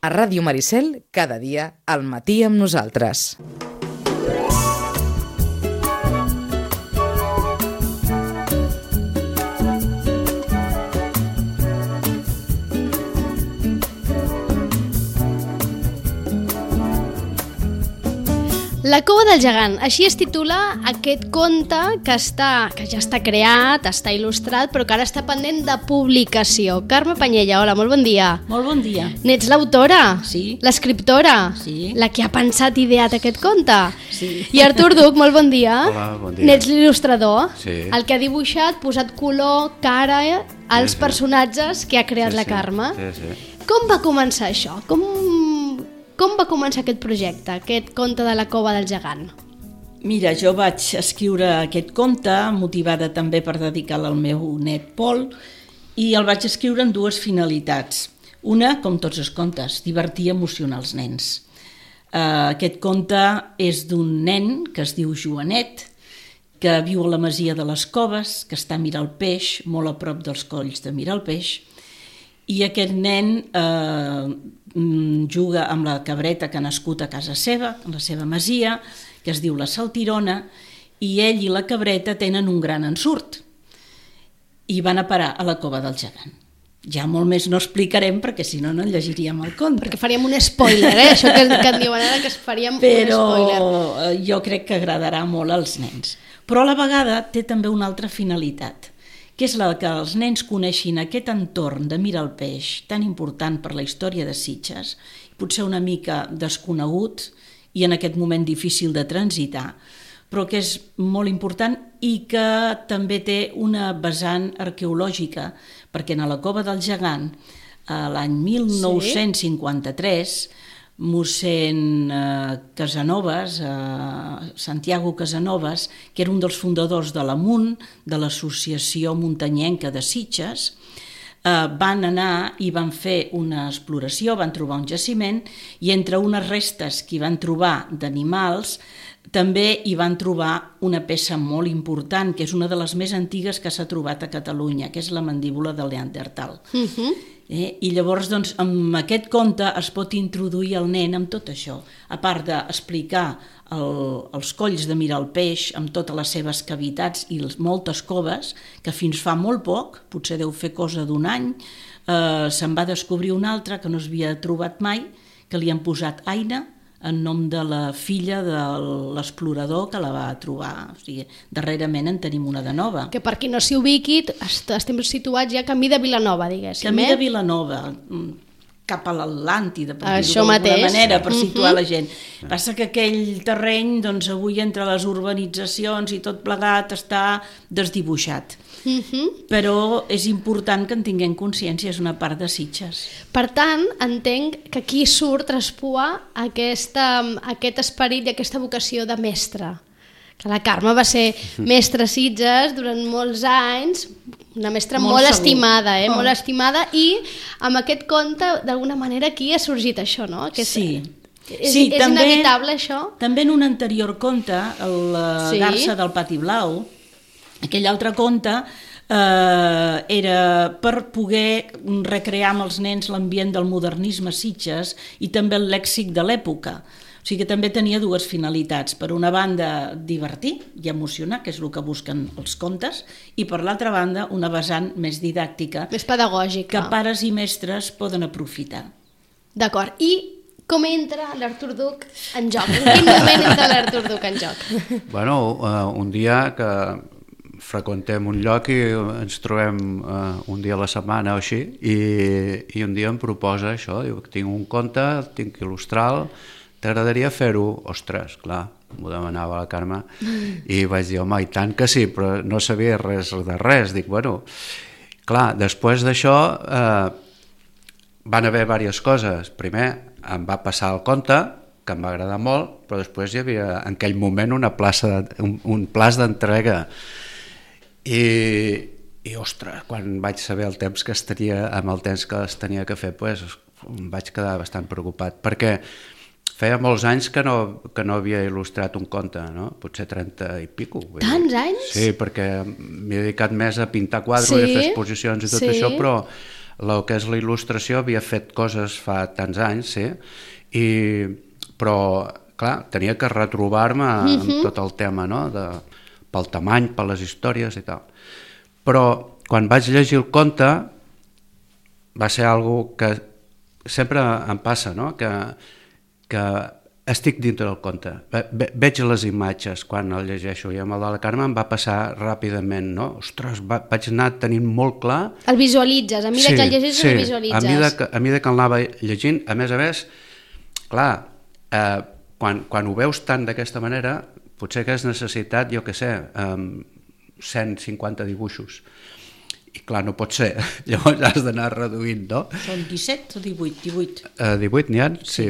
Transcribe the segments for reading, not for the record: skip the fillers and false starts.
A Ràdio Maricel, cada dia, al matí amb nosaltres. La cova del gegant, així es titula aquest conte que ja està creat, està il·lustrat, però que ara està pendent de publicació. Carme Panyella, hola, molt bon dia. Molt bon dia. N'ets l'autora? Sí. L'escriptora? Sí. La que ha pensat i ideat aquest conte? Sí. I Artur Duc, molt bon dia. Hola, bon dia. N'ets l'il·lustrador? Sí. El que ha dibuixat, posat color, cara als personatges que ha creat la Carme. Sí. Com va començar això? Com va començar aquest projecte, aquest conte de la cova del gegant? Mira, jo vaig escriure aquest conte, motivada també per dedicar-lo al meu net Pol, i el vaig escriure amb dues finalitats. Una, com tots els contes, divertir i emocionar els nens. Aquest conte és d'un nen que es diu Joanet, que viu a la masia de les Coves, que està a Miralpeix, molt a prop dels colls de Miralpeix, i aquest nen juga amb la cabreta que ha nascut a casa seva, a la seva masia, que es diu la Saltirona, i ell i la cabreta tenen un gran ensurt i van a parar a la cova del gegant. Ja molt més no explicarem perquè si no, no llegiríem el conte. Perquè faríem un spoiler, això que en diuen ara, que faríem un spoiler. Però jo crec que agradarà molt als nens. Però a la vegada té també una altra finalitat, que és la que els nens coneixin aquest entorn de Miralpeix, tan important per la història de Sitges, potser una mica desconegut i en aquest moment difícil de transitar, però que és molt important i que també té una vessant arqueològica, perquè a la cova del gegant, l'any 1953, mossèn Casanovas, Santiago Casanovas, que era un dels fundadors de l'AMUN, de l'Associació Muntanyenca de Sitges, van anar i van fer una exploració, van trobar un jaciment i entre unes restes que hi van trobar d'animals també hi van trobar una peça molt important, que és una de les més antigues que s'ha trobat a Catalunya, que és la mandíbula del Neandertal. I llavors, doncs, amb aquest conte es pot introduir el nen amb tot això, a part d'explicar els colls de Miralpeix amb totes les seves cavitats i moltes coves, que fins fa molt poc, potser deu fer cosa d'un any, se'n va descobrir una altra que no s'havia trobat mai, que li han posat Aina, en nom de la filla de l'explorador que la va trobar. O sigui, darrerament en tenim una de nova. Que per qui no s'hi ubiqui, estem situats ja camí de Vilanova, diguéssim. Camí de Vilanova, cap a l'Atlàntida, per dir-ho d'alguna manera, per situar la gent. Passa que aquell terreny, doncs, avui entre les urbanitzacions i tot plegat està desdibuixat. Però és important que en tinguem consciència, és una part de Sitges. Per tant, entenc que aquí surt, traspua aquest esperit i aquesta vocació de mestre. Que la Carme va ser mestra a Sitges durant molts anys, una mestra molt estimada, molt estimada, i amb aquest conte, d'alguna manera, aquí ha sorgit això, no? Sí. És inevitable, això? També en un anterior conte, la Garça del Pati Blau, aquell altre conte era per poder recrear amb els nens l'ambient del modernisme a Sitges i també el lèxic de l'època. O sigui que també tenia dues finalitats. Per una banda, divertir i emocionar, que és el que busquen els contes, i per l'altra banda, una vessant més didàctica. Més pedagògica. Que pares i mestres poden aprofitar. D'acord. I com entra l'Artur Duc en joc? En quin moment entra l'Artur Duc en joc? Bueno, un dia que freqüentem un lloc i ens trobem un dia a la setmana o així i un dia em proposa això, diu que tinc un conte, tinc que il·lustrar-lo, t'agradaria fer-ho? Ostres, clar, m'ho demanava la Carme i vaig dir, home, i tant que sí, però no sabia res de res. Dic, bueno, clar, després d'això van haver diverses coses. Primer em va passar el conte, que em va agradar molt, però després hi havia en aquell moment un plaç d'entrega i ostres, quan vaig saber el temps que es tenia, amb el temps que es tenia que fer, pues, em vaig quedar bastant preocupat, perquè feia molts anys que no havia il·lustrat un conte, no? Potser 30 i pico. Tants anys? Sí, perquè m'he dedicat més a pintar quadres i a fer exposicions i tot això, però el que és la il·lustració havia fet coses fa tants anys, sí, però, clar, tenia que retrobar-me amb tot el tema, no?, pel tamany, per les històries i tal. Però quan vaig llegir el conte va ser algo que sempre em passa, no?, que estic dintre del conte, veig les imatges quan el llegeixo, i amb el de la Carme em va passar ràpidament, no? Ostres, vaig anar tenint molt clar... El visualitzes, a mesura que el llegeixes el visualitzes. A mesura que el anava llegint, a més, clar, quan ho veus tant d'aquesta manera, potser que has necessitat, jo què sé, 150 dibuixos. I clar, no pot ser, llavors has d'anar reduint, no? Són 17 o 18? 18 n'hi ha? Sí.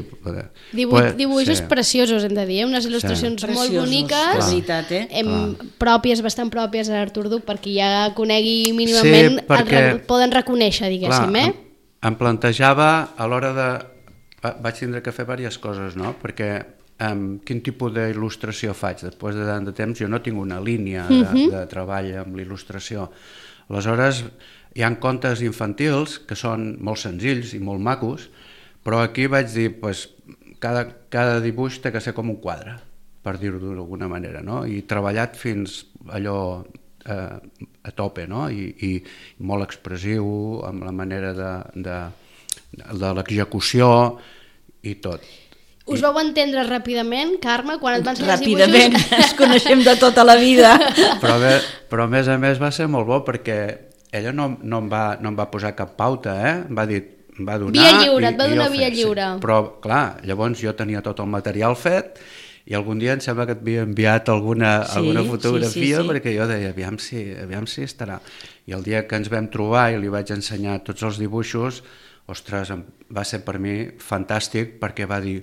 18 dibuixos preciosos, hem de dir, unes il·lustracions molt boniques, veritat, pròpies, bastant pròpies a l'Artur Duc, perquè ja conegui mínimament, poden reconèixer, diguéssim. Em plantejava a l'hora de... Vaig tindre que fer diverses coses, no? Perquè quin tipus d'il·lustració faig? Després de tant de temps jo no tinc una línia de treball amb l'il·lustració. Aleshores, hi ha contes infantils que són molt senzills i molt macos, però aquí vaig dir, cada dibuix té que ser com un quadre, per dir-ho d'alguna manera, no? I treballat fins allò a tope, no? I molt expressiu, amb la manera de l'execució i tot. Us vau entendre ràpidament, Carme, quan et van ensenyar els dibuixos? Ràpidament, ens coneixem de tota la vida. Però a més va ser molt bo perquè ella no em va posar cap pauta, em va dir, em va donar... Via lliure, et va donar via lliure. Sí. Però, clar, llavors jo tenia tot el material fet i algun dia em sembla que et havia enviat alguna fotografia perquè jo deia, aviam si estarà. I el dia que ens vam trobar i li vaig ensenyar tots els dibuixos, ostres, va ser per mi fantàstic perquè va dir,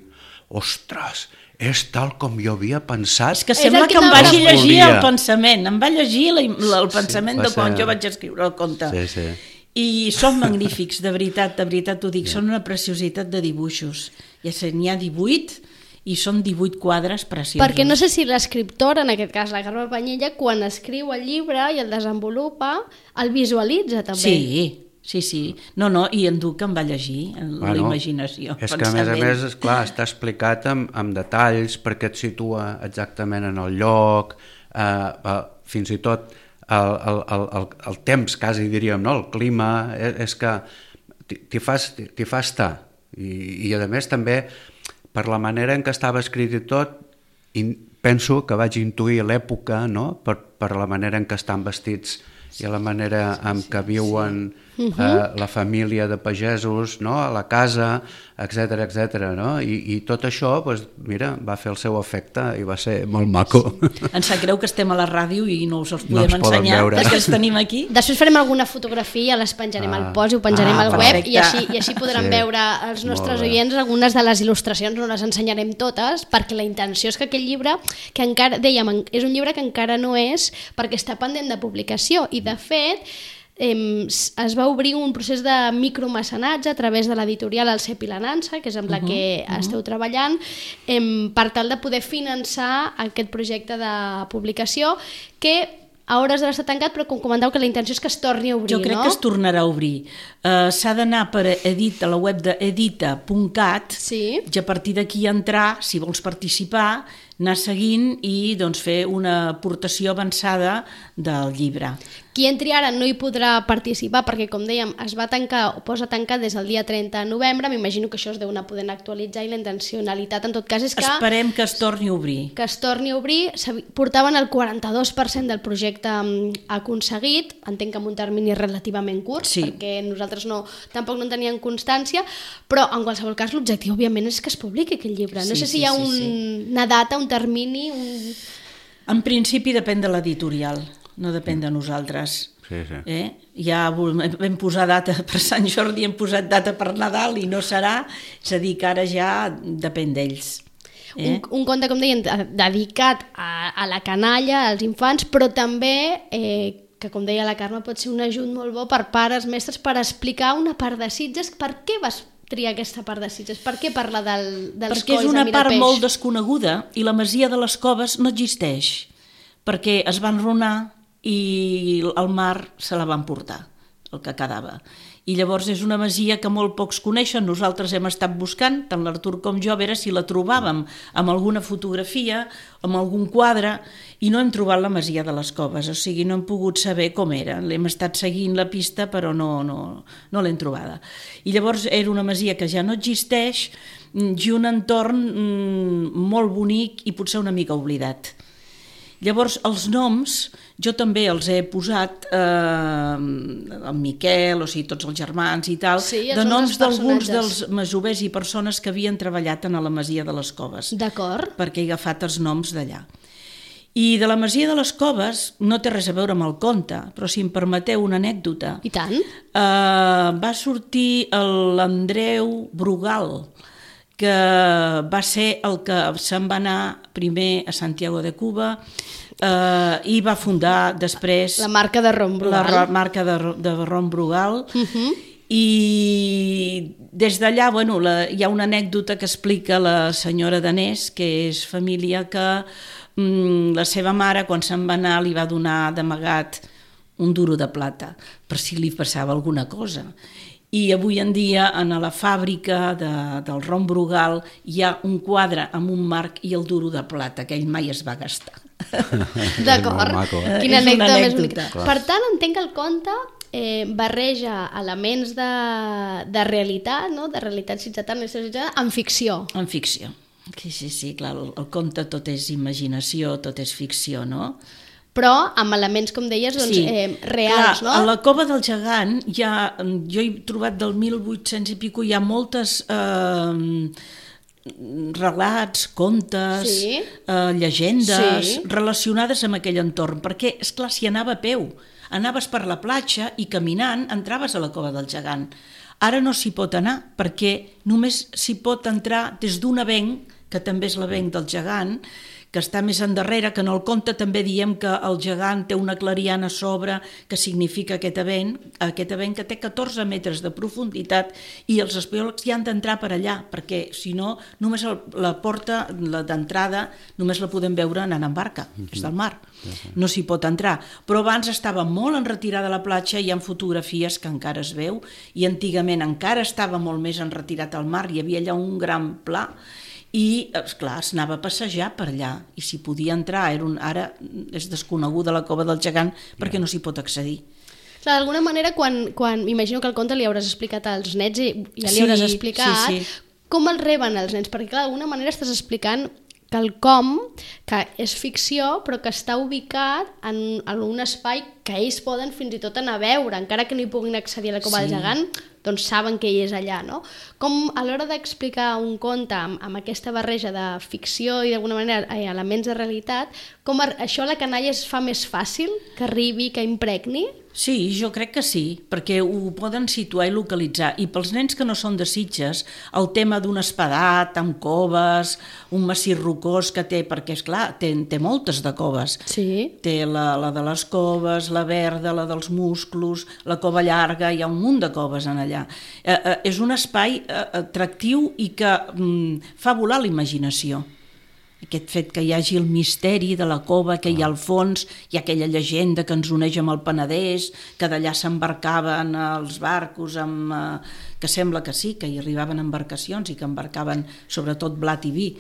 ostres, és tal com jo havia pensat. És que sembla que em vagi llegir el pensament, em va llegir el pensament de quan jo vaig escriure el conte. Sí. I són magnífics, de veritat t'ho dic, són una preciositat de dibuixos. Ja sé, n'hi ha 18 i són 18 quadres preciosos. Perquè no sé si l'escriptora, en aquest cas la Carme Panyella, quan escriu el llibre i el desenvolupa, el visualitza també. Sí. No, i en Duc em va llegir, la imaginació. És que a més, esclar, està explicat amb detalls perquè et situa exactament en el lloc, fins i tot el temps, quasi diríem, no? El clima, és que t'hi fa estar. I a més també, per la manera en què estava escrit i tot, penso que vaig intuir l'època, no? Per la manera en què estan vestits i la manera en què viuen la família de pagesos, no? A la casa, etc. No? I tot això, mira, va fer el seu efecte i va ser molt maco. Ens sap greu que estem a la ràdio i no us els podem ensenyar, que els tenim aquí. Després farem alguna fotografia, les penjarem al post i ho penjarem al web i així podran veure els nostres oients algunes de les il·lustracions, no les ensenyarem totes, perquè la intenció és que aquest llibre, que encara, dèiem, és un llibre que encara no és, perquè està pendent de publicació i de fet es va obrir un procés de micromecenatge a través de l'editorial El Cep i la Nansa, que és amb la que esteu treballant, per tal de poder finançar aquest projecte de publicació que a hores d'ara està tancat, però com comenteu que la intenció és que es torni a obrir, jo crec que es tornarà a obrir. S'ha d'anar per a la web d'edita.cat i a partir d'aquí entrar, si vols participar, anar seguint i fer una aportació avançada del llibre. Qui entri ara no hi podrà participar perquè, com dèiem, es va tancar o posa tancat des del dia 30 de novembre. M'imagino que això es deu anar podent actualitzar i la intencionalitat, en tot cas, és que... Esperem que es torni a obrir. Que es torni a obrir. Portaven el 42% del projecte aconseguit, entenc que en un termini relativament curt, perquè nosaltres tampoc no en teníem constància, però en qualsevol cas l'objectiu, òbviament, és que es publiqui aquest llibre. No sé si hi ha una data, un termini... En principi depèn de l'editorial, no depèn de nosaltres. Ja vam posar data per Sant Jordi, hem posat data per Nadal i no serà, és a dir, que ara ja depèn d'ells. Un conte, com deien, dedicat a la canalla, als infants, però també, que com deia la Carme, pot ser un ajut molt bo per pares, mestres, per explicar una part de Sitges. Per què vas triar aquesta part de Sitges? Per què parlar dels colls de Mirapeix? Perquè és una part molt desconeguda i la masia de les Coves no existeix, perquè es va enrunar i el mar se la van portar, el que quedava. I llavors és una masia que molt pocs coneixen, nosaltres hem estat buscant, tant l'Artur com jo, a veure si la trobàvem amb alguna fotografia, amb algun quadre, i no hem trobat la masia de les Coves, o sigui, no hem pogut saber com era. L'hem estat seguint la pista, però no l'hem trobada. I llavors era una masia que ja no existeix i un entorn molt bonic i potser una mica oblidat. Llavors, els noms, jo també els he posat, el Miquel, o sigui, tots els germans i tal, de noms d'alguns dels masovers i persones que havien treballat a la masia de les Coves. D'acord. Perquè he agafat els noms d'allà. I de la masia de les Coves no té res a veure amb el conte, però si em permeteu una anècdota. I tant. Va sortir l'Andreu Brugal, que va ser el que se'n va anar primer a Santiago de Cuba i va fundar després... La marca de rom Brugal. La marca de rom Brugal. I des d'allà, bueno, hi ha una anècdota que explica la senyora Danés, que és família que la seva mare, quan se'n va anar, li va donar d'amagat un duro de plata, per si li passava alguna cosa. I avui en dia, en la fàbrica del rom Brugal, hi ha un quadre amb un marc i el duro de plata, que ell mai es va gastar. D'acord. Quina anècdota més bonica. Clar. Per tant, entenc que el conte barreja elements de realitat, no? De realitat ciutadana en ficció. En ficció. Sí, clar, el conte tot és imaginació, tot és ficció, no? Però amb elements, com deies, doncs, reals, clar, no? A la Cova del Gegant, jo he trobat del 1800 i pico, hi ha moltes relats, contes, llegendes relacionades amb aquell entorn, perquè, esclar, s'hi anava a peu. Anaves per la platja i caminant entraves a la Cova del Gegant. Ara no s'hi pot anar, perquè només s'hi pot entrar des d'un avenc, que també és l'avenc del Gegant, que està més endarrere, que en el conte també diem que el gegant té una clariana a sobre, que significa aquest avenc que té 14 metres de profunditat, i els espeleòlegs hi han d'entrar per allà, perquè si no, només la porta d'entrada només la podem veure anant en barca, és del mar, no s'hi pot entrar. Però abans estava molt en retirada a la platja, hi ha fotografies que encara es veu, i antigament encara estava molt més en retirat al mar, hi havia allà un gran pla, i, esclar, es anava a passejar per allà, i s'hi podia entrar. Ara és desconeguda la Cova del Gegant perquè no s'hi pot accedir. Clar, d'alguna manera, quan imagino que el conte li hauràs explicat als nets i ja li hauràs explicat, com el reben els nens? Perquè, clar, d'alguna manera estàs explicant quelcom que és ficció però que està ubicat en un espai que ells poden fins i tot anar a veure, encara que no hi puguin accedir a la Cova del Gegant, doncs saben que ell és allà, no? Com a l'hora d'explicar un conte amb aquesta barreja de ficció i d'alguna manera elements de realitat, com això a la canalla es fa més fàcil que arribi, que impregni? Sí, jo crec que sí, perquè ho poden situar i localitzar. I pels nens que no són de Sitges, el tema d'un espadat amb coves, un massís rocós que té, perquè esclar, té moltes de coves. Sí. Té la de les coves, la verda, la dels musclos, la cova llarga, hi ha un munt de coves en allà. És un espai atractiu i que fa volar la imaginació. Aquest fet que hi hagi el misteri de la cova que hi ha al fons, hi ha aquella llegenda que ens uneix amb el Penedès, que d'allà s'embarcaven els barcos, que sembla que sí, que hi arribaven embarcacions i que embarcaven sobretot blat i vi.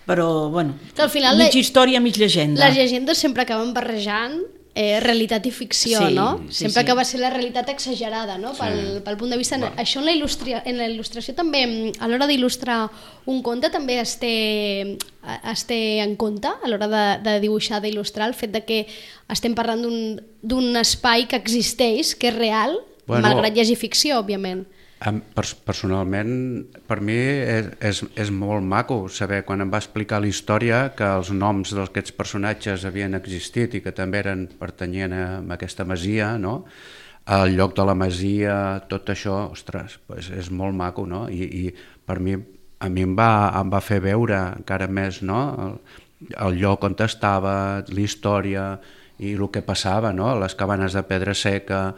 Però, bueno, mig història, mig llegenda. Les llegendes sempre acaben barrejant realitat i ficció, no? Sempre acaba sent la realitat exagerada, no? Pel punt de vista... Això en la il·lustració també, a l'hora d'il·lustrar un conte, també es té en compte a l'hora de dibuixar, d'il·lustrar, el fet de que estem parlant d'un espai que existeix, que és real, malgrat hi hagi ficció, òbviament. Personalment, per mi és molt maco saber, quan em va explicar la història, que els noms d'aquests personatges havien existit i que també pertanyien a aquesta masia, no? El lloc de la masia, tot això, ostres, és molt maco, no? I per mi, a mi em va fer veure encara més, no? El lloc on estava, la història i el que passava, no? Les cabanes de pedra seca,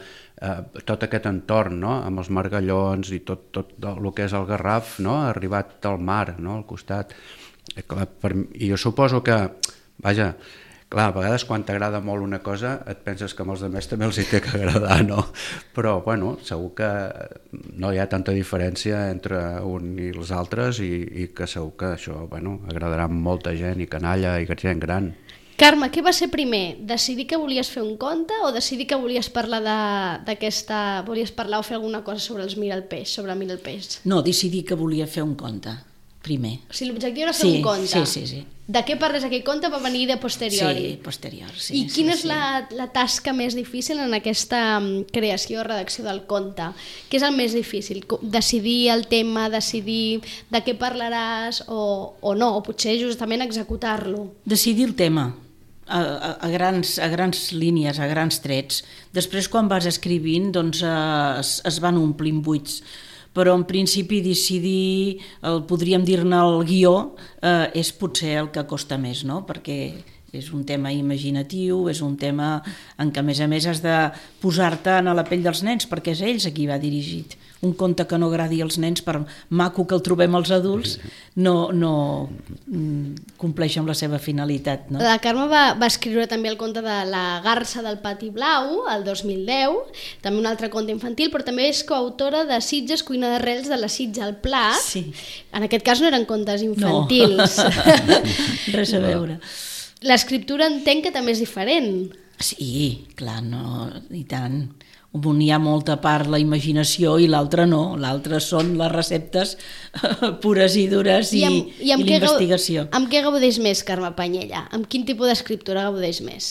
tot aquest entorn, no? Amb els margallons i tot el que és el Garraf, no? Arribat al mar, no? Al costat. I jo suposo que, vaja, Clar, a vegades quan t'agrada molt una cosa et penses que amb els altres també els hi té que agradar, no? Però, bueno, segur que no hi ha tanta diferència entre un i els altres i que segur que això, bueno, agradarà a molta gent i canalla i gent gran. Carme, què va ser primer? Decidir que volies fer un conte o decidir que volies parlar d'aquesta... Volies parlar o fer alguna cosa sobre els Mira el Peix, sobre Mira el Peix? No, decidir que volia fer un conte, primer. O sigui, l'objectiu era fer un conte. Sí. De què parles aquell conte va venir de posteriori? Sí, posterior, sí. I quina és la tasca més difícil en aquesta creació o redacció del conte? Què és el més difícil? Decidir el tema, decidir de què parlaràs o no, o potser justament executar-lo? Decidir el tema. A grans línies, a grans trets. Després, quan vas escrivint, doncs es van omplint buits. Però en principi decidir, podríem dir-ne el guió, és potser el que costa més, no? Perquè és un tema imaginatiu, és un tema en què a més has de posar-te a la pell dels nens, perquè és ells a qui va dirigit. Un conte que no agradi als nens, per maco que el trobem als adults, no compleix amb la seva finalitat. No? La Carme va escriure també el conte de La garsa del pati blau, el 2010, també un altre conte infantil, però també és coautora de Sitges, cuina d'arrels de la Sitja al Plat. Sí. En aquest cas no eren contes infantils. No, res a veure. L'escriptura entenc que també és diferent. Sí, clar, no, i tant. Un hi ha molta part la imaginació i l'altra no. L'altra són les receptes pures i dures i l'investigació. Amb què gaudeix més, Carme Panyella? Amb quin tipus d'escriptora gaudeix més?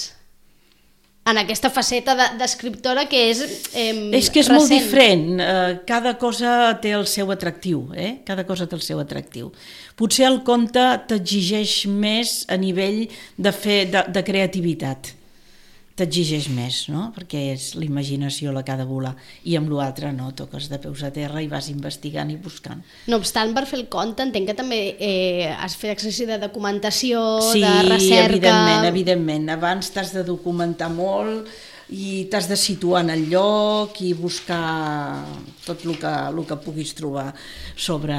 En aquesta faceta d'escriptora que és recent. És que és molt diferent. Cada cosa té el seu atractiu. Cada cosa té el seu atractiu. Potser el conte t'exigeix més a nivell de creativitat. T'exigeix més, no? Perquè és l'imaginació la que ha de volar, i amb l'altre no, toques de peus a terra i vas investigant i buscant. No obstant, per fer el conte entenc que també has fet exercici de documentació, de recerca... Sí, evidentment. Abans t'has de documentar molt i t'has de situar en el lloc i buscar tot el que puguis trobar sobre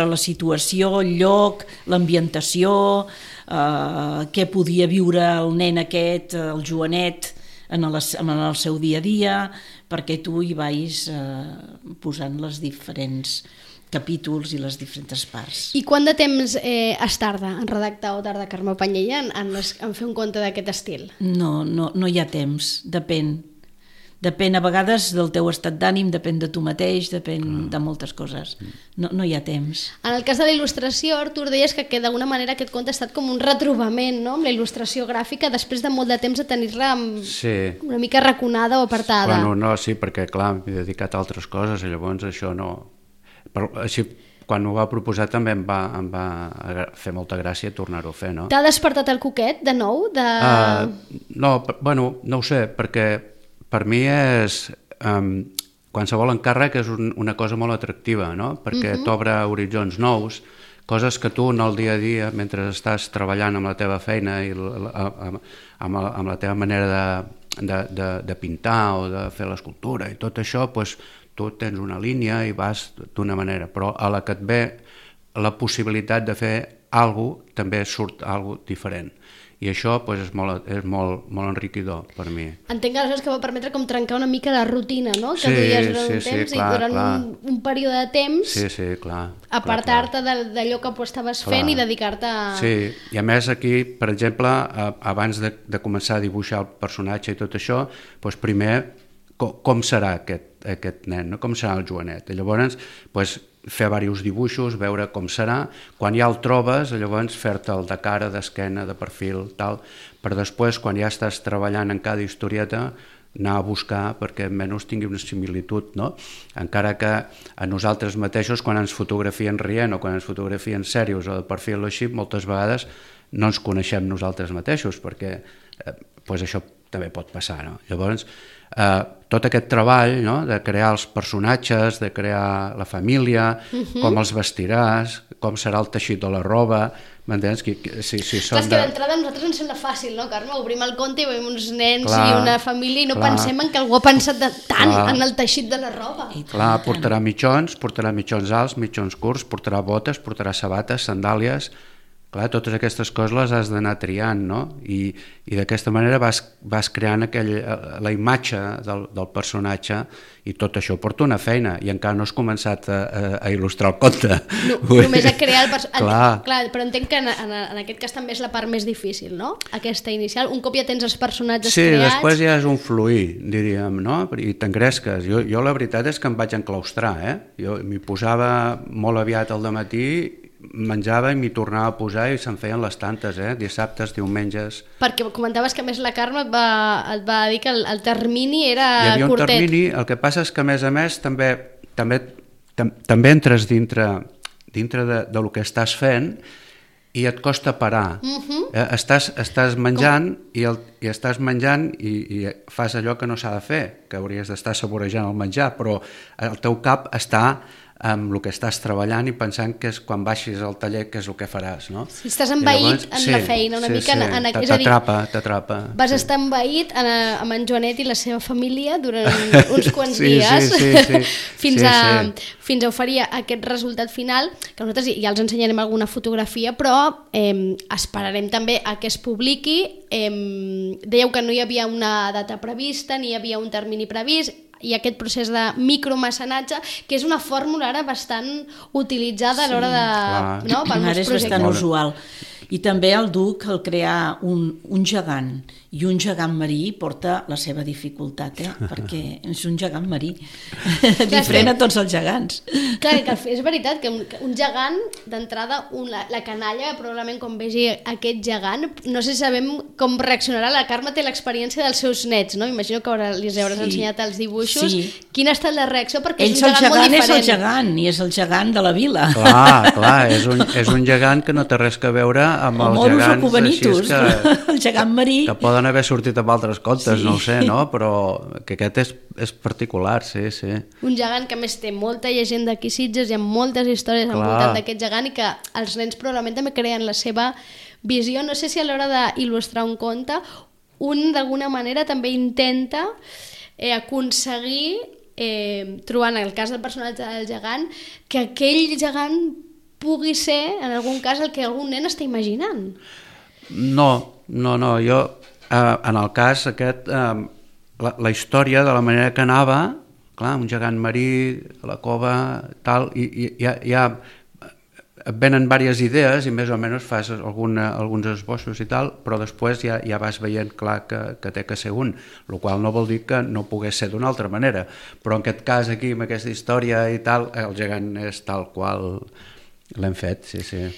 la situació, el lloc, l'ambientació, què podia viure el nen aquest, el Joanet, en el seu dia a dia, perquè tu hi vais posant els diferents capítols i les diferents parts. I quant de temps es tarda en redactar o tarda Carme Panyella en fer un conte d'aquest estil? No hi ha temps, depèn. Depèn a vegades del teu estat d'ànim, depèn de tu mateix, depèn de moltes coses. No hi ha temps. En el cas de la il·lustració, Artur, deies que d'alguna manera aquest conte ha estat com un retrobament, no?, amb la il·lustració gràfica, després de molt de temps de tenir-la una mica raconada o apartada. Bueno, no, sí, perquè clar, m'he dedicat a altres coses i llavors això no... Però així, quan ho va proposar també em va fer molta gràcia tornar-ho a fer, no? T'ha despertat el coquet de nou? No, bueno, no ho sé, perquè per mi és... qualsevol encàrrec és una cosa molt atractiva, no? Perquè t'obre horitzons nous, coses que tu en el dia a dia, mentre estàs treballant amb la teva feina i amb la teva manera de pintar o de fer l'escultura i tot això, doncs tu tens una línia i vas d'una manera, però a la que et ve la possibilitat de fer alguna cosa, també surt alguna cosa diferent. I això és molt enriquidor per mi. Entenc que aleshores que va permetre com trencar una mica la rutina, no? Que duies durant un temps i durant un període de temps apartar-te d'allò que estaves fent i dedicar-te a... Sí, i a més aquí, per exemple, abans de començar a dibuixar el personatge i tot això, doncs primer com serà aquest nen, com serà el Joanet. I llavors fer diversos dibuixos, veure com serà, quan ja el trobes, llavors fer-te'l de cara, d'esquena, de perfil, tal, per després, quan ja estàs treballant en cada historieta, anar a buscar perquè almenys tingui una similitud, no? Encara que a nosaltres mateixos, quan ens fotografien rient o quan ens fotografien serios o de perfil o així, moltes vegades no ens coneixem nosaltres mateixos, perquè això també pot passar, no? Llavors, tot aquest treball, no?, de crear els personatges, de crear la família, com els vestiràs, com serà el teixit de la roba, m'entens? Clar, és que d'entrada a nosaltres ens sembla fàcil, no, Carme? Obrim el conte i veiem uns nens i una família i no pensem en que algú ha pensat tant en el teixit de la roba. Clar, portarà mitjons alts, mitjons curts, portarà botes, portarà sabates, sandàlies, clar, totes aquestes coses les has d'anar triant, no? I d'aquesta manera vas creant la imatge del personatge, i tot això porta una feina, i encara no has començat a il·lustrar el conte. Només a crear el personatge. Clar, però entenc que en aquest cas també és la part més difícil, no? Aquesta inicial. Un cop ja tens els personatges creats... Sí, després ja és un fluir, diríem, no? I t'engresques. Jo la veritat és que em vaig enclaustrar, Jo m'hi posava molt aviat al dematí, menjava i m'hi tornava a posar i se'n feien les tantes, dissabtes, diumenges... Perquè comentaves que a més la Carme et va dir que el termini era curtet. Hi havia un termini, el que passa és que a més també entres dintre del que estàs fent i et costa parar. Estàs menjant i estàs menjant i fas allò que no s'ha de fer, que hauries d'estar saborejant el menjar, però el teu cap està amb el que estàs treballant i pensant que és quan baixis al taller que és el que faràs, no? Si estàs envaït en la feina, una mica... T'atrapa. Vas estar envaït amb en Joanet i la seva família durant uns quants dies fins a oferir aquest resultat final, que nosaltres ja els ensenyarem alguna fotografia, però esperarem també a que es publiqui. Dèieu que no hi havia una data prevista, ni hi havia un termini previst, i aquest procés de micromecenatge, que és una fórmula ara bastant utilitzada a l'hora de... No? Ara és bastant usual. I també el Duc, al crear un gegant i un gegant marí, porta la seva dificultat, perquè és un gegant marí, diferent a tots els gegants. Clar, que és veritat que un gegant, d'entrada, la canalla, probablement quan vegi aquest gegant, no sé si sabem com reaccionarà. La Carme té l'experiència dels seus nets, no? Imagino que li hauràs ensenyat els dibuixos. Quina ha estat la reacció? Perquè és un gegant molt diferent. És el gegant, i és el gegant de la vila. Clar, és un gegant que no té res a veure amb els gegants així el gegant marí, que poden haver sortit amb altres contes, no ho sé, no? Però que aquest és particular, sí. Un gegant que més té molta llegenda aquí a Sitges, hi ha moltes històries al voltant d'aquest gegant i que els nens probablement també creen la seva visió. No sé si a l'hora d'il·lustrar un conte un d'alguna manera també intenta aconseguir, trobant el cas del personatge del gegant, que aquell gegant pugui ser, en algun cas, el que algun nen està imaginant. No, jo, en el cas aquest, la història de la manera que anava, clar, un gegant marí, a la cova, tal, i ja et venen diverses idees i més o menys fas alguns esbossos i tal, però després ja vas veient clar que té que ser un, el qual no vol dir que no pogués ser d'una altra manera, però en aquest cas aquí, amb aquesta història i tal, el gegant és tal qual l'hem fet, sí.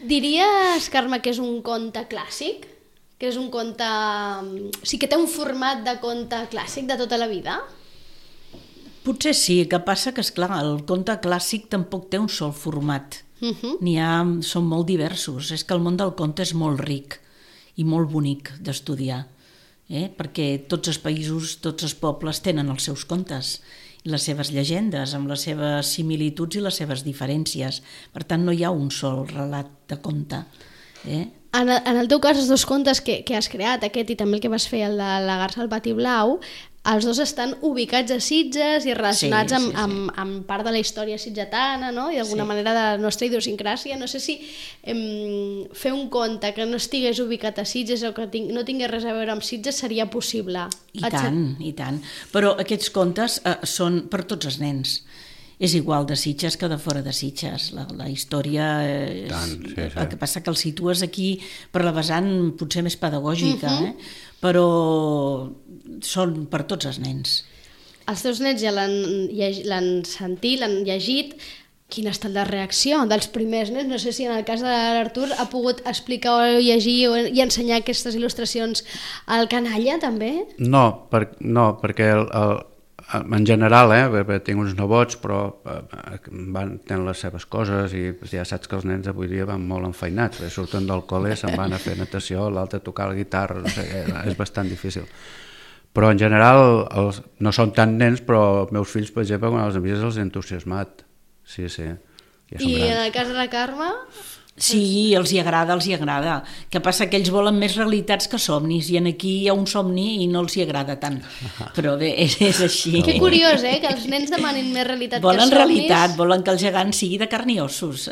Diries, Carme, que és un conte clàssic? Que és un conte... O sigui, que té un format de conte clàssic de tota la vida? Potser sí, que passa que, esclar, el conte clàssic tampoc té un sol format. Són molt diversos. És que el món del conte és molt ric i molt bonic d'estudiar, perquè tots els països, tots els pobles tenen els seus contes, les seves llegendes, amb les seves similituds i les seves diferències. Per tant, no hi ha un sol relat de conte. En el teu cas, els dos contes que has creat, aquest i també el que vas fer, el de la garsa al pati blau, els dos estan ubicats a Sitges i relacionats amb part de la història sitgetana, no? I d'alguna manera de la nostra idiosincràsia. No sé si fer un conte que no estigués ubicat a Sitges o que no tingués res a veure amb Sitges seria possible. I tant. Però aquests contes són per tots els nens. És igual de Sitges que de fora de Sitges. La història... El que passa que el situes aquí per la vessant potser més pedagògica, però són per tots els nens. Els teus nens ja l'han sentit, l'han llegit. Quina ha estat la reacció dels primers nens? No sé si en el cas de l'Artur ha pogut explicar o llegir i ensenyar aquestes il·lustracions al canalla, també? No, perquè en general, tinc uns nebots, però tenen les seves coses i ja saps que els nens avui dia van molt enfeinats, surten del col·le, se'n van a fer natació, l'altre a tocar la guitarra, no sé, és bastant difícil. Però en general no són tant nens, però els meus fills, per exemple, quan els hem vist els he entusiasmat. Sí. Ja són I en grans. el cas de la Carme... Sí, els hi agrada, els hi agrada. Que passa que ells volen més realitats que somnis, i aquí hi ha un somni i no els hi agrada tant. Però bé, és així. Que curiós, que els nens demanin més realitat Volen que somnis. realitat, volen que el gegant sigui de carn i ossos.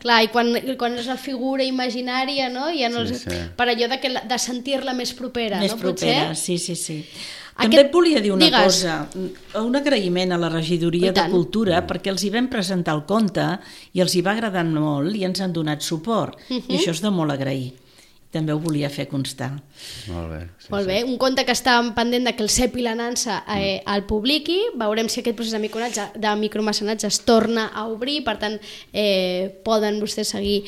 Clar, i quan és la figura imaginària, no? Ja no Sí, els... sí. Per allò de sentir-la més propera, Més no? propera, Potser? sí. També et volia dir una Digues. cosa, un agraïment a la Regidoria I de tant. Cultura, perquè els hi vam presentar el conte i els hi va agradar molt i ens han donat suport, i això és de molt agrair. També ho volia fer constar. Molt bé. Sí, Molt bé, un conte que està pendent de que el CEP i la Nansa el publiqui. Veurem si aquest procés de micromecenatge es torna a obrir, per tant poden vostès seguir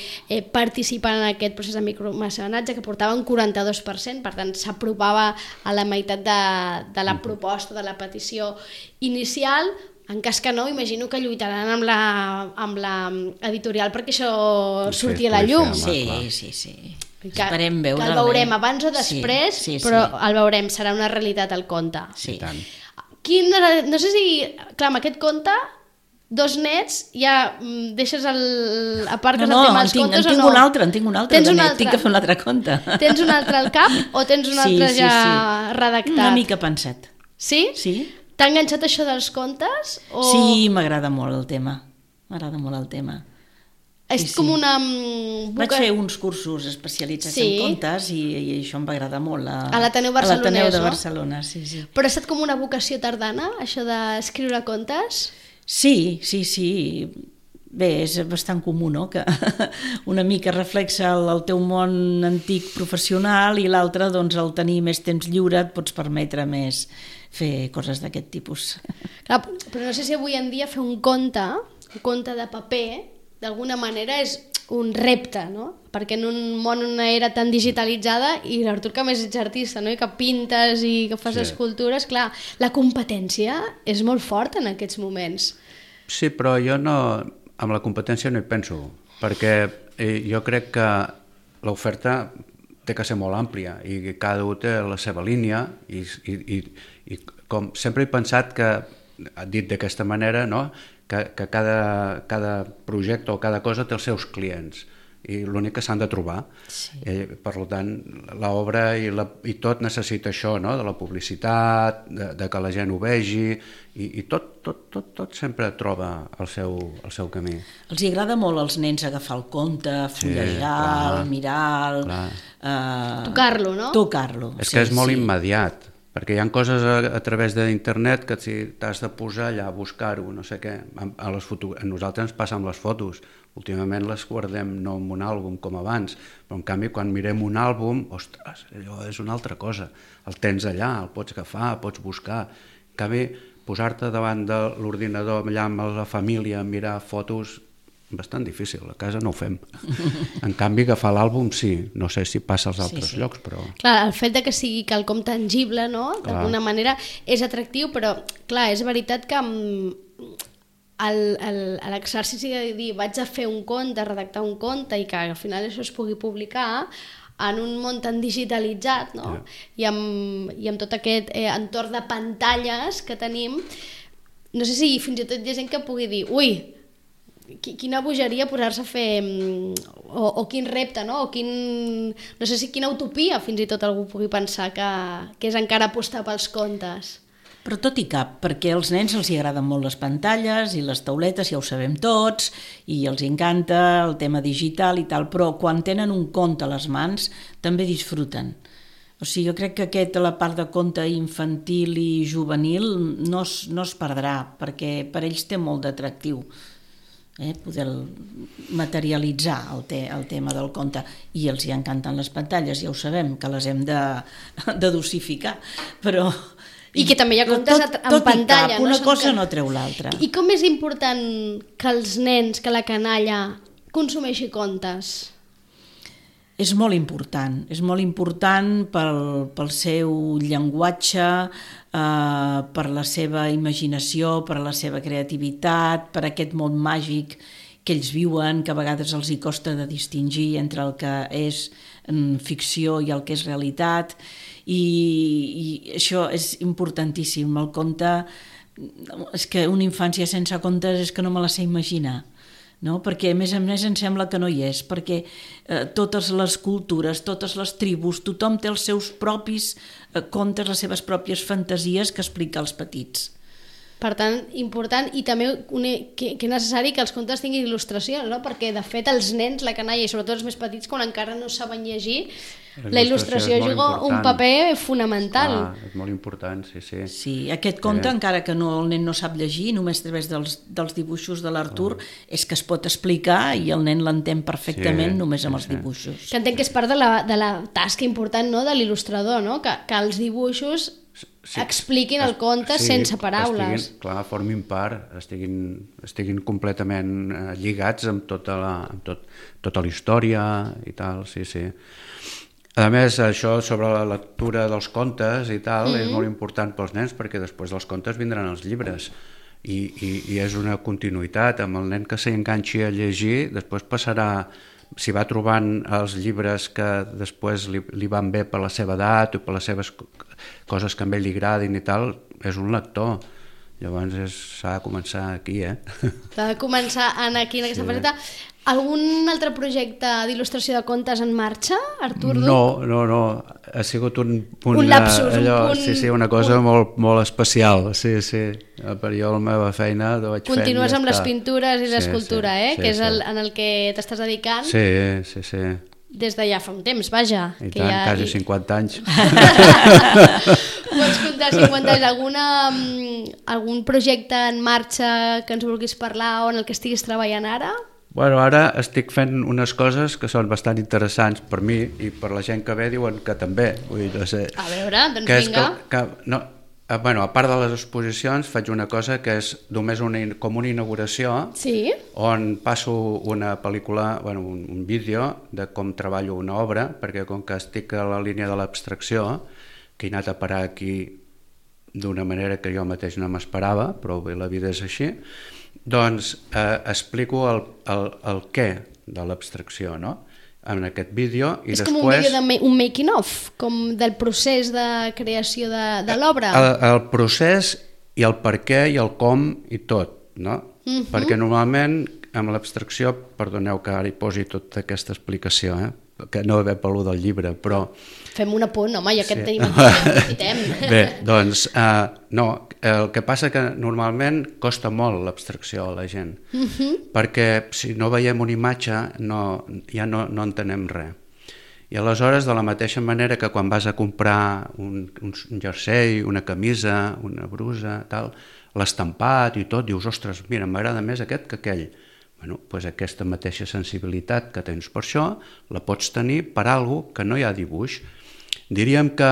participant en aquest procés de micromecenatge, que portava un 42%, per tant s'apropava a la meitat de la proposta, de la petició inicial. En cas que no, imagino que lluitaran amb la editorial perquè això surti a la llum. Sí. Que Esperem veure-la. Que el veurem abans o després, sí. però el veurem, serà una realitat el conte. Sí. I tant. No sé si, clar, amb aquest conte, dos nets, ja deixes a part que és el tema dels contes o no? En tinc un altre, Tens un de net, altre? tinc que fer un altre conte. Tens un altre al cap o tens un altre ja redactat? Una mica pensat. Sí? Sí? T'ha enganxat això dels contes? O... Sí, m'agrada molt el tema. És com una... Vaig fer uns cursos especialitzats en contes i això em va agradar molt. A l'Ateneu Barcelonès, a l'Ateneu de no? Barcelona, sí. Però ha estat com una vocació tardana, això d'escriure contes? Sí. Bé, és bastant comú, no?, que una mica reflexa el teu món antic professional i l'altre, doncs, al tenir més temps lliure et pots permetre més fer coses d'aquest tipus. Clar, però no sé si avui en dia fer un conte de paper, d'alguna manera és un repte, no? Perquè en un món, una era tan digitalitzada, i l'Artur, que a més ets artista, no? I que pintes i que fas escultures, clar, la competència és molt forta en aquests moments. Sí, però jo no, amb la competència no hi penso, perquè jo crec que l'oferta té que ser molt àmplia i cada un té la seva línia i com sempre he pensat que, dit d'aquesta manera, no?, que cada projecte o cada cosa té els seus clients i l'únic que s'han de trobar. Sí. Per tant, l'obra i tot necessita això, no?, de la publicitat, de que la gent ho vegi i tot sempre troba el seu camí. Els hi agrada molt als nens agafar el conte, fullejar, mirar... Tocar-lo, no? Tocar-lo. És que és molt immediat, perquè hi ha coses a través d'internet que si t'has de posar allà a buscar-ho, no sé què. A nosaltres ens passa amb les fotos. Últimament les guardem no en un àlbum com abans, però en canvi quan mirem un àlbum, ostres, allò és una altra cosa. El tens allà, el pots agafar, pots buscar. En canvi, posar-te davant de l'ordinador allà amb la família a mirar fotos, bastant difícil, a casa no ho fem. En canvi, agafar l'àlbum sí, no sé si passa als altres llocs, però... Clar, el fet de que sigui quelcom tangible, no?, d'alguna manera és atractiu, però clar, és veritat que l'exercici de dir vaig a fer un conte, redactar un conte i que al final això es pugui publicar en un món tan digitalitzat, no? I amb tot aquest entorn de pantalles que tenim, no sé si fins i tot hi ha gent que pugui dir ui, quina bogeria posar-se a fer o quin repte, no? No sé si quina utopia fins i tot algú pugui pensar que és encara apostar pels contes. Però tot i cap, perquè als nens els hi agraden molt les pantalles i les tauletes, ja ho sabem tots, i els encanta el tema digital i tal, però quan tenen un conte a les mans també disfruten. O sigui, jo crec que la part de conte infantil i juvenil no es perdrà, perquè per ells té molt d'atractiu. Poder materialitzar el tema del conte, i els hi encanten les pantalles, ja ho sabem que les hem de dosificar, però... I que també hi ha contes en pantalla. Una cosa no treu l'altra. I com és important que els nens, que la canalla consumeixi contes? És molt important pel seu llenguatge, per la seva imaginació, per la seva creativitat, per aquest món màgic que ells viuen, que a vegades els hi costa de distingir entre el que és ficció i el que és realitat, i això és importantíssim. El conte, és que una infància sense contes és que no me la sé imaginar. no? Perquè a més em sembla que no hi és, perquè totes les cultures, totes les tribus, tothom té els seus propis contes, les seves pròpies fantasies que explica als petits. Per tant, important, i també que és necessari que els contes tinguin il·lustració, no? Perquè de fet els nens, la canalla i sobretot els més petits, quan encara no saben llegir, la il·lustració juga un paper fonamental. És molt important, sí. Sí, aquest conte, encara que el nen no sap llegir, només a través dels dibuixos de l'Artur, és que es pot explicar i el nen l'entén perfectament només amb els dibuixos. Que entenc que és part de la tasca important, no?, de l'il·lustrador, no? Que els dibuixos expliquin el conte sense paraules. Formin part, estiguin completament lligats amb tota la història i tal, sí. A més, això sobre la lectura dels contes i tal és molt important pels nens, perquè després dels contes vindran els llibres i és una continuïtat. Amb el nen que s'enganxi a llegir, després passarà, si va trobant els llibres que després li van bé per la seva edat o per les seves coses que a ell li agradin i tal, és un lector. Llavors s'ha de començar aquí, S'ha de començar aquí en aquesta faceta. Algun altre projecte d'il·lustració de contes en marxa, Artur? No. Ha sigut un lapsus, una cosa molt especial. Sí. Per jo la meva feina ho vaig fent. Continues amb les pintures i l'escultura, que és en el que t'estàs dedicant. Sí. Des de ja fa un temps, vaja. I tant, quasi 50 anys. Pots contar 50 anys algun projecte en marxa que ens vulguis parlar o en el que estiguis treballant ara? Bueno, ara estic fent unes coses que són bastant interessants per mi i per la gent que ve diuen que també. Vull dir, no sé. A veure, doncs vinga. A part de les exposicions faig una cosa que és només com una inauguració, on passo una pel·lícula, un vídeo de com treballo una obra, perquè com que estic a la línia de l'abstracció, que he anat a parar aquí d'una manera que jo mateix no m'esperava, però bé, la vida és així, doncs explico el què de l'abstracció, no?, en aquest vídeo. És com un vídeo un making of, com del procés de creació de l'obra. El procés i el per què i el com i tot, no? Perquè normalment amb l'abstracció, perdoneu que ara hi posi tota aquesta explicació, que no ve per lo del llibre, però... Fem un apunt, home, ja que et tenim aquí, aprofitem. Bé, doncs, no, el que passa que normalment costa molt l'abstracció a la gent, perquè si no veiem una imatge ja no entenem res. I aleshores, de la mateixa manera que quan vas a comprar un jersei, una camisa, una brusa, tal, l'estampat i tot, dius, ostres, mira, m'agrada més aquest que aquell. Doncs aquesta mateixa sensibilitat que tens per això la pots tenir per alguna que no hi ha dibuix. Diríem que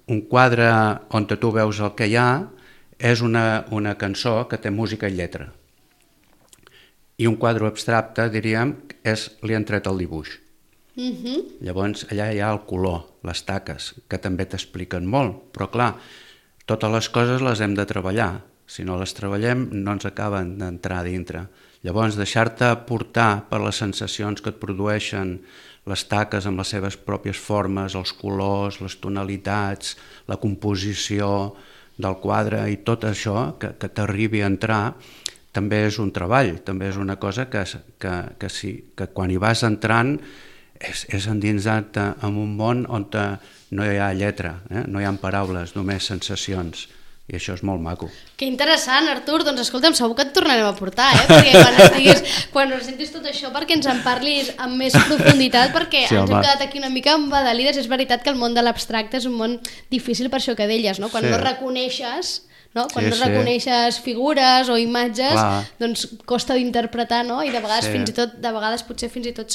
un quadre on tu veus el que hi ha és una cançó que té música i lletra. I un quadre abstracte, diríem, li han tret el dibuix. Llavors allà hi ha el color, les taques, que també t'expliquen molt, però clar, totes les coses les hem de treballar. Si no les treballem no ens acaben d'entrar a dintre. Llavors deixar-te portar per les sensacions que et produeixen les taques amb les seves pròpies formes, els colors, les tonalitats, la composició del quadre i tot això que t'arribi a entrar, també és un treball, també és una cosa que quan hi vas entrant és endinsar-te en un món on no hi ha lletra, no hi ha paraules, només sensacions. I això és molt maco. Que interessant, Artur. Doncs escolta'm, segur que et tornarem a portar, perquè quan sentis tot això, perquè ens en parlis amb més profunditat, perquè ens hem quedat aquí una mica embadalides. És veritat que el món de l'abstracte és un món difícil per això que deies, no? Quan no reconeixes... Quan no reconeixes figures o imatges, doncs costa d'interpretar, no? I de vegades potser fins i tot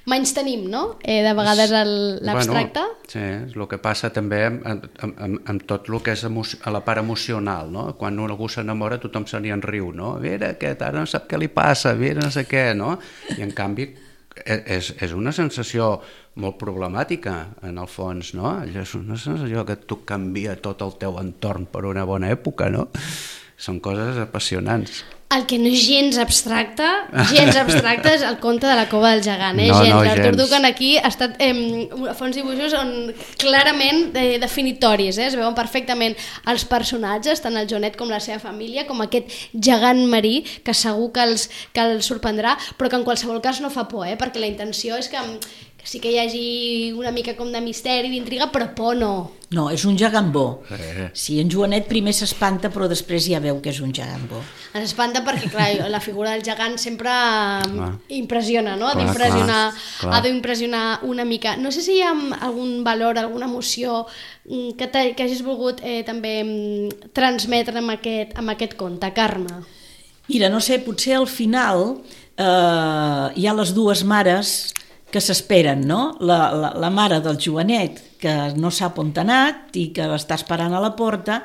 menys-tenim, no? De vegades l'abstracte. Sí, és el que passa també amb tot el que és a la part emocional, no? Quan algú s'enamora tothom se n'hi enriu, no? Mira aquest, ara no sap què li passa, mira no sé què, no? I en canvi és una sensació molt problemàtica en el fons, no? És una sensació que tu canvia tot el teu entorn per una bona època, no? Són coses apassionants. El que no és gens abstracte és el conte de la cova del gegant, No, Artur gens. Ducan aquí ha estat fa uns dibuixos on clarament definitoris, es veuen perfectament els personatges, tant el Joanet com la seva família, com aquest gegant marí que segur que els sorprendrà, però que en qualsevol cas no fa por, perquè la intenció és que sí que hi hagi una mica com de misteri, d'intriga, però por no. No, és un gegant bo. Sí, en Joanet primer s'espanta, però després ja veu que és un gegant bo. Ens espanta perquè, clar, la figura del gegant sempre impressiona, no? Clar. Ha d'impressionar una mica. No sé si hi ha algun valor, alguna emoció que hagis volgut també transmetre amb aquest conte, Carme. Mira, no sé, potser al final hi ha les dues mares que s'esperen, no? La mare del Joanet, que no sap on t'ha anat i que l'està esperant a la porta,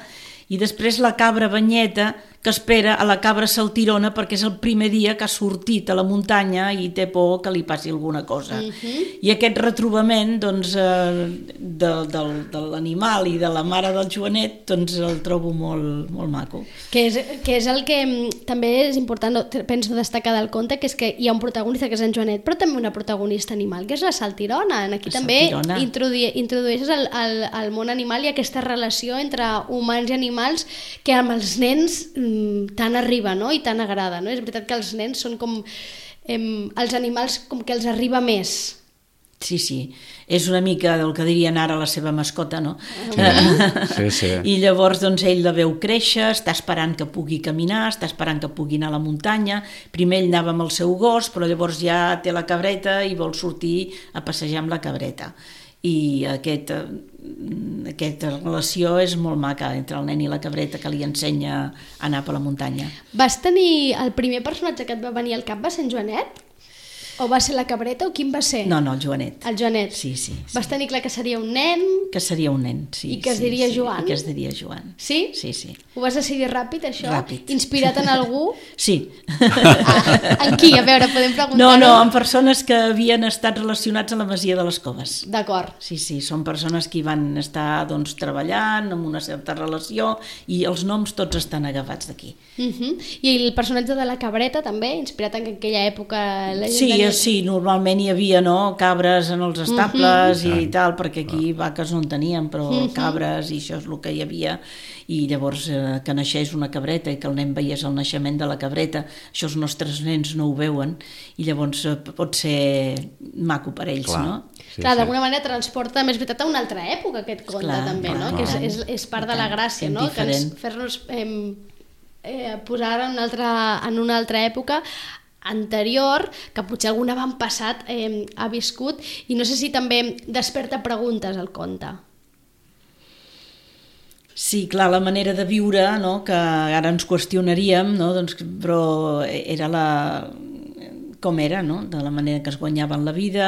i després la cabra Banyeta, que espera a la cabra Saltirona perquè és el primer dia que ha sortit a la muntanya i té por que li passi alguna cosa. I aquest retrobament doncs, de l'animal i de la mare del Joanet doncs, el trobo molt, molt maco. Que és el que també és important, penso destacar del conte, que és que hi ha un protagonista que és en Joanet, però també una protagonista animal, que és la Saltirona. Aquí també introdueixes el món animal i aquesta relació entre humans i animals que amb els nens tant arriba, no? I tant agrada, no? És veritat que els nens són com els animals com que els arriba més. Sí, és una mica del que dirien ara la seva mascota, no? Sí. I llavors doncs, ell la veu créixer, està esperant que pugui caminar, està esperant que pugui anar a la muntanya. Primer ell anava amb el seu gos, però llavors ja té la cabreta i vol sortir a passejar amb la cabreta. I aquesta relació és molt maca entre el nen i la cabreta, que li ensenya a anar per la muntanya. Vas tenir el primer personatge que et va venir al cap, va ser en Joanet? O va ser la cabreta o quin va ser? No, el Joanet. El Joanet. Sí. Vas tenir clar que seria un nen? Que seria un nen, sí. I que es diria Joan? I que es diria Joan. Sí? Sí. Ho vas decidir ràpid, això? Ràpid. Inspirat en algú? Sí. En qui? A veure, podem preguntar? No, en persones que havien estat relacionats a la Masia de les Coves. D'acord. Sí, són persones que hi van estar doncs, treballant amb una certa relació i els noms tots estan agafats d'aquí. I el personatge de la cabreta també, inspirat en aquella època? Sí, normalment hi havia cabres en els estables i tal, perquè aquí vaques no en teníem, però cabres i això és el que hi havia. I llavors que naixés una cabreta i que el nen veiés el naixement de la cabreta, això els nostres nens no ho veuen i llavors pot ser maco per ells, no? Clar, d'alguna manera transporta, més veritat, a una altra època aquest conte també, no? Que és part de la gràcia, no? Que fer-nos posar en una altra època anterior, que potser algun avantpassat ha viscut, i no sé si també desperta preguntes al conte. Sí, clar, la manera de viure, no? Que ara ens qüestionaríem, no? Doncs, però era com era, no? De la manera que es guanyaven la vida,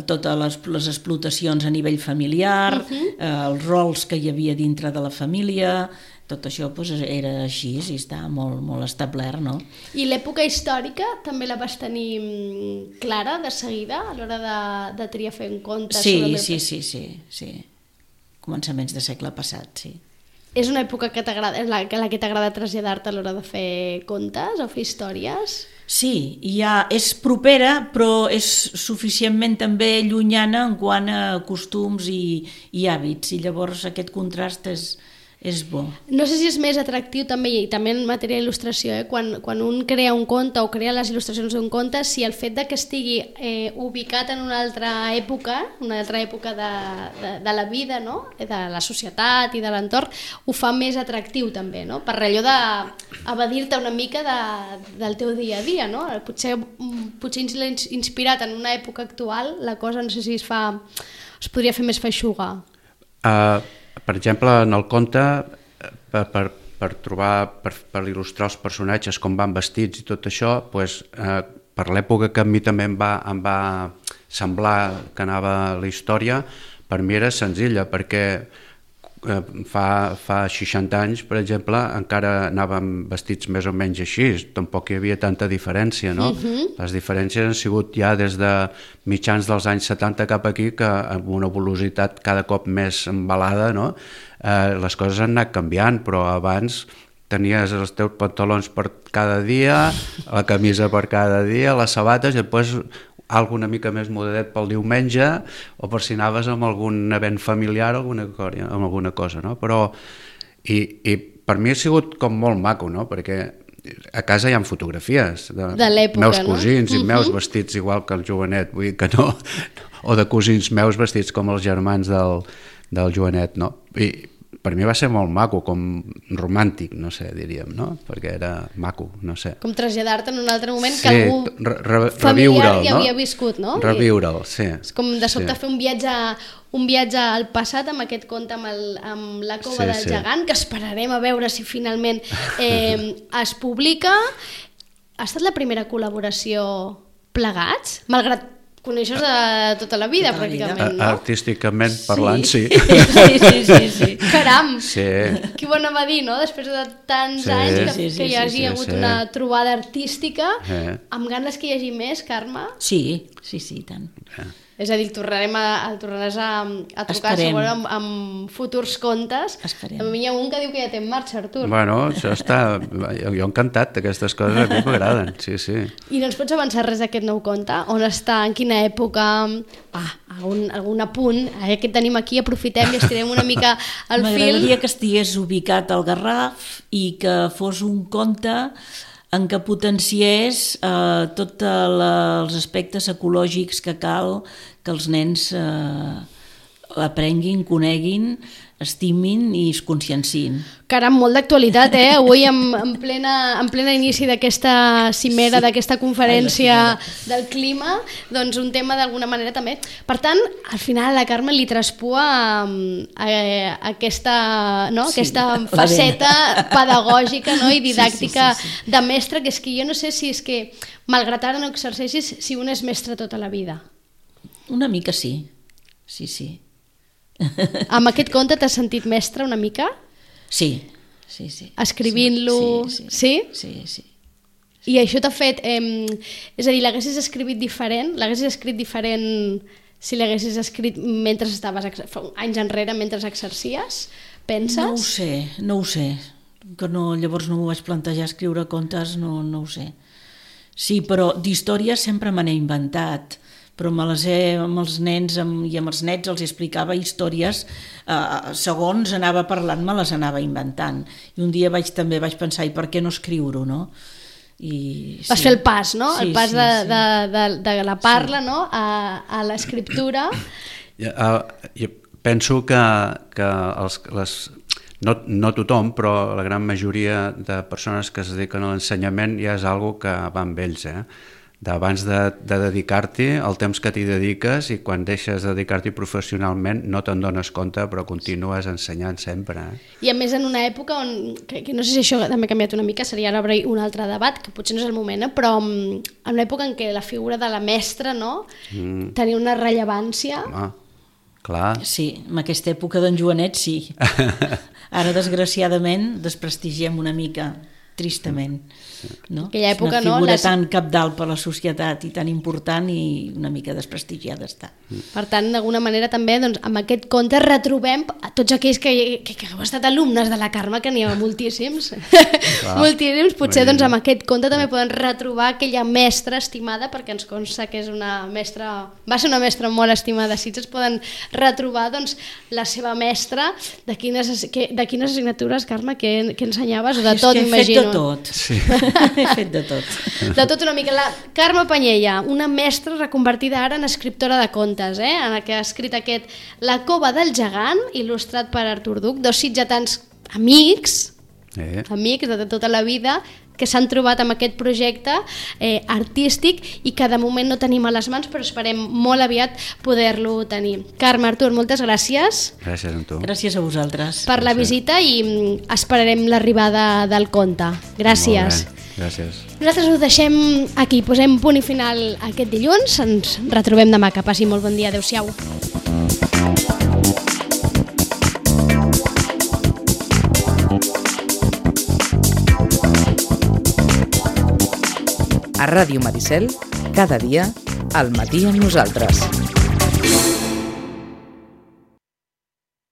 totes les explotacions a nivell familiar, els rols que hi havia dintre de la família. Tot això era així i està molt, molt establert, no? I l'època històrica també la vas tenir clara de seguida a l'hora de triar fer un conte? Sí. Començaments de segle passat, sí. És una època que t'agrada, la que t'agrada traslladar-te a l'hora de fer contes o fer històries? Sí, és propera, però és suficientment també llunyana en quant a costums i hàbits, i llavors aquest contrast és bo. No sé si és més atractiu també, i també en matèria d'il·lustració, quan un crea un conte o crea les il·lustracions d'un conte, si el fet de que estigui ubicat en una altra època de la vida, no? De la societat i de l'entorn, ho fa més atractiu també, no? Per allò d'evadir-te una mica del teu dia a dia, no? Potser inspirat en una època actual, la cosa no sé si es podria fer més feixuga. Per exemple, en el conte, per il·lustrar els personatges, com van vestits i tot això, per l'època que a mi també em va semblar que anava la història, per mi era senzilla, perquè fa 60 anys, per exemple, encara anàvem vestits més o menys així, tampoc hi havia tanta diferència, no? Les diferències han sigut ja des de mitjans dels anys 70 cap aquí, que amb una velocitat cada cop més embalada, no? Les coses han anat canviant, però abans tenies els teus pantalons per cada dia, la camisa per cada dia, les sabates, i després alguna mica més modadet pel diumenge, o per si anaves amb algun event familiar o alguna cosa, no? Però, i per mi ha sigut com molt maco, no? Perquè a casa hi ha fotografies de l'època, meus cosins i meus vestits igual que el Joanet, vull dir que no, o de cosins meus vestits com els germans del Joanet, no? I per mi va ser molt maco, com romàntic, no sé, diríem, no? Perquè era maco, no sé. Com traslladar-te en un altre moment sí, que algú familiar ja havia viscut, no? Reviure'l, sí. És com de sobte fer un viatge al passat amb aquest conte amb la cova del gegant, que esperarem a veure si finalment es publica. Ha estat la primera col·laboració plegats? Malgrat coneixes de tota la vida, pràcticament, no? Artísticament parlant, sí. Sí. Caram! Sí. Qui ho anava a dir, no? Després de tants anys que hi hagi hagut una trobada artística, amb ganes que hi hagi més, Carme? Sí, tant. És a dir, tornaràs a trucar segurament amb futurs contes. Esperem. A mi hi ha un que diu que ja té en marxa, Artur. Bueno, això està... Jo encantat, aquestes coses a mi m'agraden, sí. I no ens pots avançar res d'aquest nou conte? On està, en quina època? Algun apunt? Que tenim aquí, aprofitem i estirem una mica el fil. M'agradaria que estigués ubicat al Garraf i que fos un conte en què potenciés tots els aspectes ecològics que cal que els nens aprenguin, coneguin, estimin i es consciencin. Caram, molt d'actualitat, avui en plena inici d'aquesta cimera, d'aquesta conferència del clima, doncs un tema d'alguna manera també. Per tant, al final a la Carme li traspua aquesta faceta pedagògica i didàctica de mestre, que és que jo no sé si és que, malgrat ara no exerceixis, si un és mestre tota la vida. Una mica sí. Amb aquest conte t'has sentit mestre una mica? Sí. Escrivint-lo? Sí. I això t'ha fet... És a dir, l'haguessis escrit diferent? L'haguessis escrit diferent si l'haguessis escrit mentre estaves anys enrere, mentre exercies? Penses? No ho sé. Que llavors no m'ho vaig plantejar escriure contes, no ho sé. Sí, però d'històries sempre me n'he inventat, però amb els nens i amb els nets els explicava històries, segons anava parlant me les anava inventant. I un dia també vaig pensar, i per què no escriure-ho, no? Vas fer el pas, no? El pas de la parla a l'escriptura. Jo penso que no tothom, però la gran majoria de persones que es dediquen a l'ensenyament ja és una cosa que va amb ells, d'abans de dedicar-t'hi, el temps que t'hi dediques, i quan deixes de dedicar-t'hi professionalment no te'n dones compte, però continues ensenyant sempre. I a més en una època on, que no sé si això també ha canviat una mica, seria ara obrir un altre debat, que potser no és el moment, però en una època en què la figura de la mestra tenia una rellevància... Clar. Sí, en aquesta època d'en Joanet sí. Ara, desgraciadament, desprestigiem una mica, tristament. No? Aquella època, és una figura tan cabdal per la societat i tan important i una mica desprestigiada està. Per tant, d'alguna manera també amb aquest conte retrobem a tots aquells que heu estat alumnes de la Carme, que n'hi ha moltíssims. Moltíssims. Potser amb aquest conte també poden retrobar aquella mestra estimada, perquè ens consta que és una mestra, va ser una mestra molt estimada a Sitges, poden retrobar la seva mestra. De quines assignatures, Carme, que ensenyaves? O de tot, m'imagino. De tot. Sí. He fet de tot. De tot una mica. La Carme Panyella, una mestra reconvertida ara en escriptora de contes, en la que ha escrit aquest La cova del gegant, il·lustrat per Artur Duch, dos sitgetans amics de tota la vida, que s'han trobat amb aquest projecte artístic i que de moment no tenim a les mans, però esperem molt aviat poder-lo tenir. Carme, Artur, moltes gràcies. Gràcies a tu. Gràcies a vosaltres. Per la visita i esperarem l'arribada del conte. Gràcies. Gràcies. Nosaltres ho deixem aquí, posem punt i final aquest dilluns, ens retrobem demà, que passi molt bon dia, adeu-siau. A Ràdio Maricel, cada dia, al matí amb nosaltres.